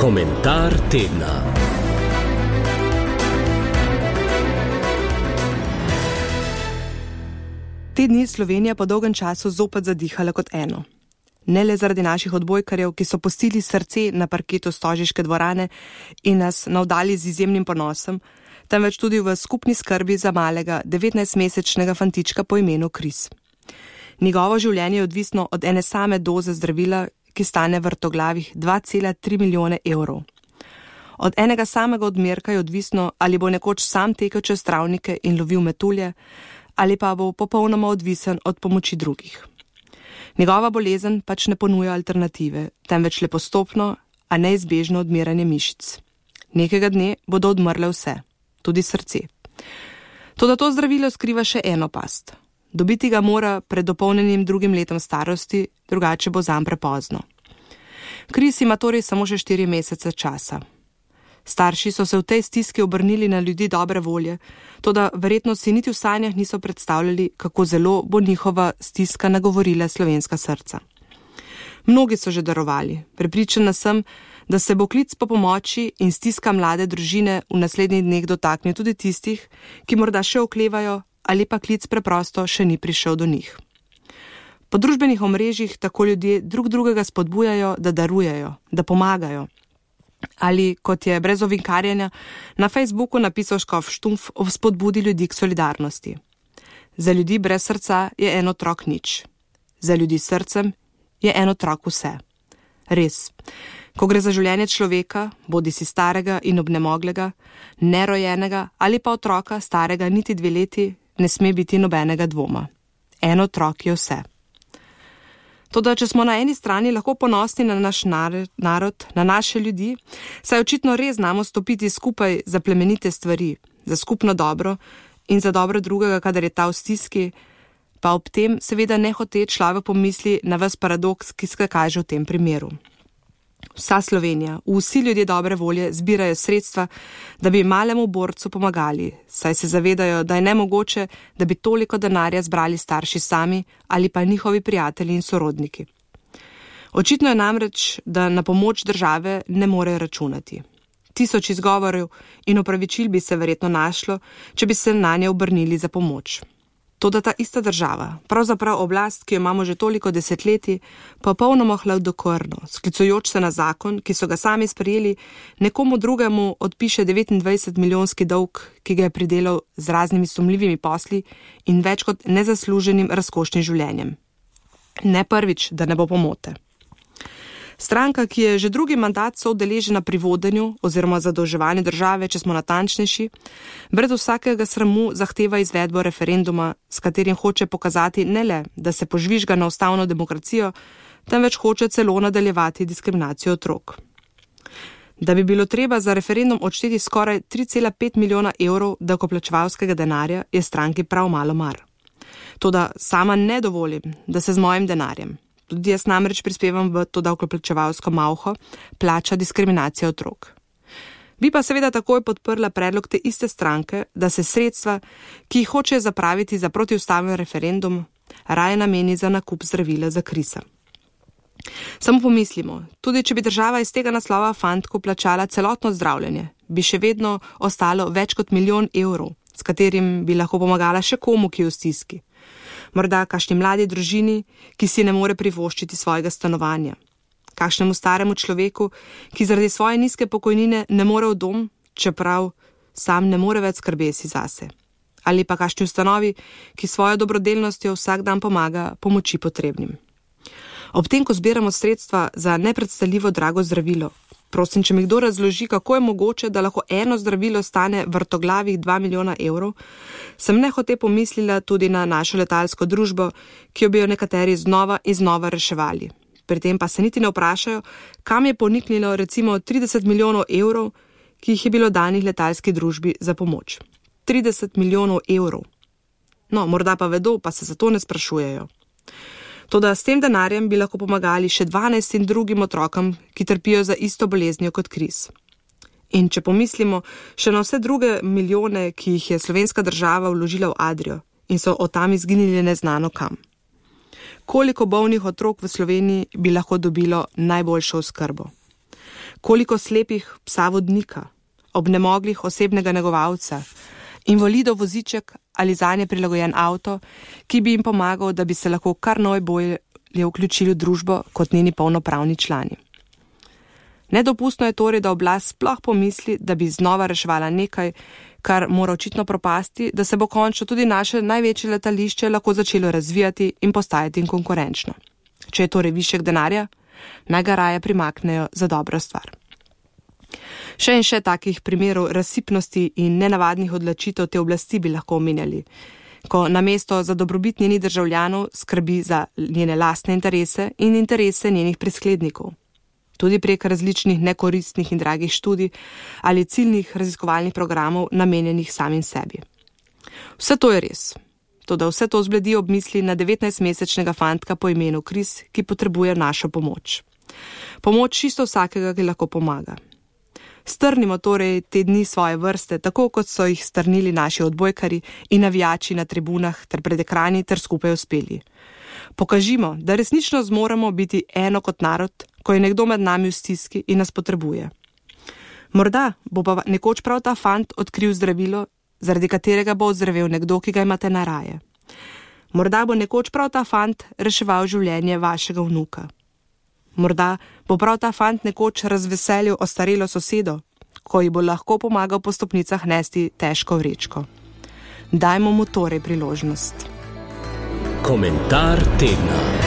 Komentar tedna. Te dni Slovenija po dolgem času zopet zadihala kot eno. Ne le zaradi naših odbojkarjev, ki so pustili srce na parketu Stožiške dvorane in nas navdali z izjemnim ponosom, temveč tudi v skupni skrbi za malega 19-mesečnega fantička po imenu Kris. Njegovo življenje je odvisno od ene same doze zdravila, ki stane vrtoglavih 2,3 milijone evrov. Od enega samega odmerka je odvisno, ali bo nekoč sam tekel čez travnike in lovil metulje, ali pa bo popolnoma odvisen od pomoči drugih. Njegova bolezen pač ne ponuja alternative, temveč le postopno, a neizbežno odmiranje mišic. Nekega dne bodo odmrle vse, tudi srce. Toda to zdravilo skriva še eno past. Dobiti ga mora pred dopolnjenim drugim letom starosti, drugače bo zanj prepozno. Kris ima torej samo še 4 mesece časa. Starši so se v tej stiski obrnili na ljudi dobre volje, toda verjetno si niti v sanjah niso predstavljali, kako zelo bo njihova stiska nagovorila slovenska srca. Mnogi so že darovali, prepričana sem, da se bo klic po pomoči in stiska mlade družine v naslednjih dneh dotaknil tudi tistih, ki morda še oklevajo ali pa klic preprosto še ni prišel do njih. Po družbenih omrežjih tako ljudje drug drugega spodbujajo, da darujejo, da pomagajo. Ali, kot je brez ovinkarjenja, na Facebooku napisal škof Štumpf o spodbudi ljudi k solidarnosti. Za ljudi brez srca je en otrok nič. Za ljudi s srcem je en otrok vse. Res, ko gre za življenje človeka, bodi si starega in obnemoglega, nerojenega ali pa otroka starega niti 2 leti, ne sme biti nobenega dvoma. En otrok je vse. Toda, če smo na eni strani lahko ponosni na naš narod, na naše ljudi, saj očitno res znamo stopiti skupaj za plemenite stvari, za skupno dobro in za dobro drugega, kadar je ta v stiski, pa ob tem seveda nehote človek pomisli na ves paradoks, ki se kaže v tem primeru. Vsa Slovenija, vsi ljudje dobre volje zbirajo sredstva, da bi malemu borcu pomagali, saj se zavedajo, da je nemogoče, da bi toliko denarja zbrali starši sami ali pa njihovi prijatelji in sorodniki. Očitno je namreč, da na pomoč države ne morejo računati. 1000 izgovorov in opravičil bi se verjetno našlo, če bi se na nje obrnili za pomoč. Toda ta ista država, pravzaprav oblast, ki jo imamo že toliko desetletij, popolnoma hladnokrvno, sklicujoč se na zakon, ki so ga sami sprejeli, nekomu drugemu odpiše 29 milijonski dolg, ki ga je pridelal z raznimi sumljivimi posli in več kot nezasluženim razkošnim življenjem. Ne prvič, da ne bo pomote. Stranka, ki je že drugi mandat soudeležena pri vodenju oziroma zadolževanju države, če smo natančnejši, brez vsakega sramu zahteva izvedbo referenduma, s katerim hoče pokazati ne le, da se požvižga na ustavno demokracijo, temveč hoče celo nadaljevati diskriminacijo otrok. Da bi bilo treba za referendum odšteti skoraj 3,5 milijona evrov davkoplačevalskega denarja, je stranki prav malo mar. Toda sama ne dovolim, da se z mojim denarjem, tudi jaz namreč prispevam v to davkoplačevalsko malho, plača diskriminacija otrok. Bi pa seveda takoj podprla predlog te iste stranke, da se sredstva, ki jih hoče zapraviti za protiustaven referendum, raje nameni za nakup zdravila za Krisa. Samo pomislimo, tudi če bi država iz tega naslova fantku plačala celotno zdravljenje, bi še vedno ostalo več kot 1 milijon evrov, s katerim bi lahko pomagala še komu, ki je v stiski. Morda kakšni mladi družini, ki si ne more privoščiti svojega stanovanja. Kakšnemu staremu človeku, ki zaradi svoje nizke pokojnine ne more v dom, čeprav sam ne more več skrbeti zase. Ali pa kakšni ustanovi, ki svojo dobrodelnostjo vsak dan pomaga pomoči potrebnim. Ob tem, ko zbiramo sredstva za nepredstavljivo drago zdravilo, prosim, če mi kdo razloži, kako je mogoče, da lahko eno zdravilo stane vrtoglavih 2 milijona evrov, sem nehote pomislila tudi na našo letalsko družbo, ki jo bi jo nekateri znova in znova reševali. Pri tem pa se niti ne vprašajo, kam je poniknilo recimo 30 milijonov evrov, ki jih je bilo danih letalski družbi za pomoč. 30 milijonov evrov. No, morda pa vedo, pa se zato ne sprašujejo. Toda s tem denarjem bi lahko pomagali še 12 drugim otrokom, ki trpijo za isto boleznijo kot Kris. In če pomislimo še na vse druge milijone, ki jih je slovenska država vložila v Adrio in so od tam izginili neznano kam. Koliko bolnih otrok v Sloveniji bi lahko dobilo najboljšo oskrbo? Koliko slepih psa vodnika, obnemoglih osebnega negovalca, invalidov voziček ali zanje prilagojen avto, ki bi jim pomagal, da bi se lahko kar najbolje vključili v družbo kot njeni polnopravni člani. Nedopustno je torej, da oblast sploh pomisli, da bi znova reševala nekaj, kar mora očitno propasti, da se bo končno tudi naše največje letališče lahko začelo razvijati in postajati konkurenčno. Če je torej višek denarja, naj ga raje primaknejo za dobro stvar. Še in še takih primerov razsipnosti in nenavadnih odločitev te oblasti bi lahko omenjali, ko namesto za dobrobit njenih državljanov skrbi za njene lastne interese in interese njenih prisklednikov. Tudi prek različnih nekoristnih in dragih študij ali ciljnih raziskovalnih programov namenjenih samim sebi. Vse to je res. Toda vse to zbledi ob misli na 19-mesečnega fantka po imenu Kris, ki potrebuje našo pomoč. Pomoč čisto vsakega, ki lahko pomaga. Strnimo torej te dni svoje vrste, tako kot so jih strnili naši odbojkari in navijači na tribunah ter pred ekrani ter skupaj uspeli. Pokažimo, da resnično zmoremo biti eno kot narod, ko je nekdo med nami v stiski in nas potrebuje. Morda bo pa nekoč prav ta fant odkril zdravilo, zaradi katerega bo ozdravel nekdo, ki ga imate najraje. Morda bo nekoč prav ta fant reševal življenje vašega vnuka. Morda bo prav ta fant nekoč razveselil ostarelo sosedo, ko ji bo lahko pomagal po stopnicah nesti težko vrečko. Dajmo mu torej priložnost. Komentar tedna.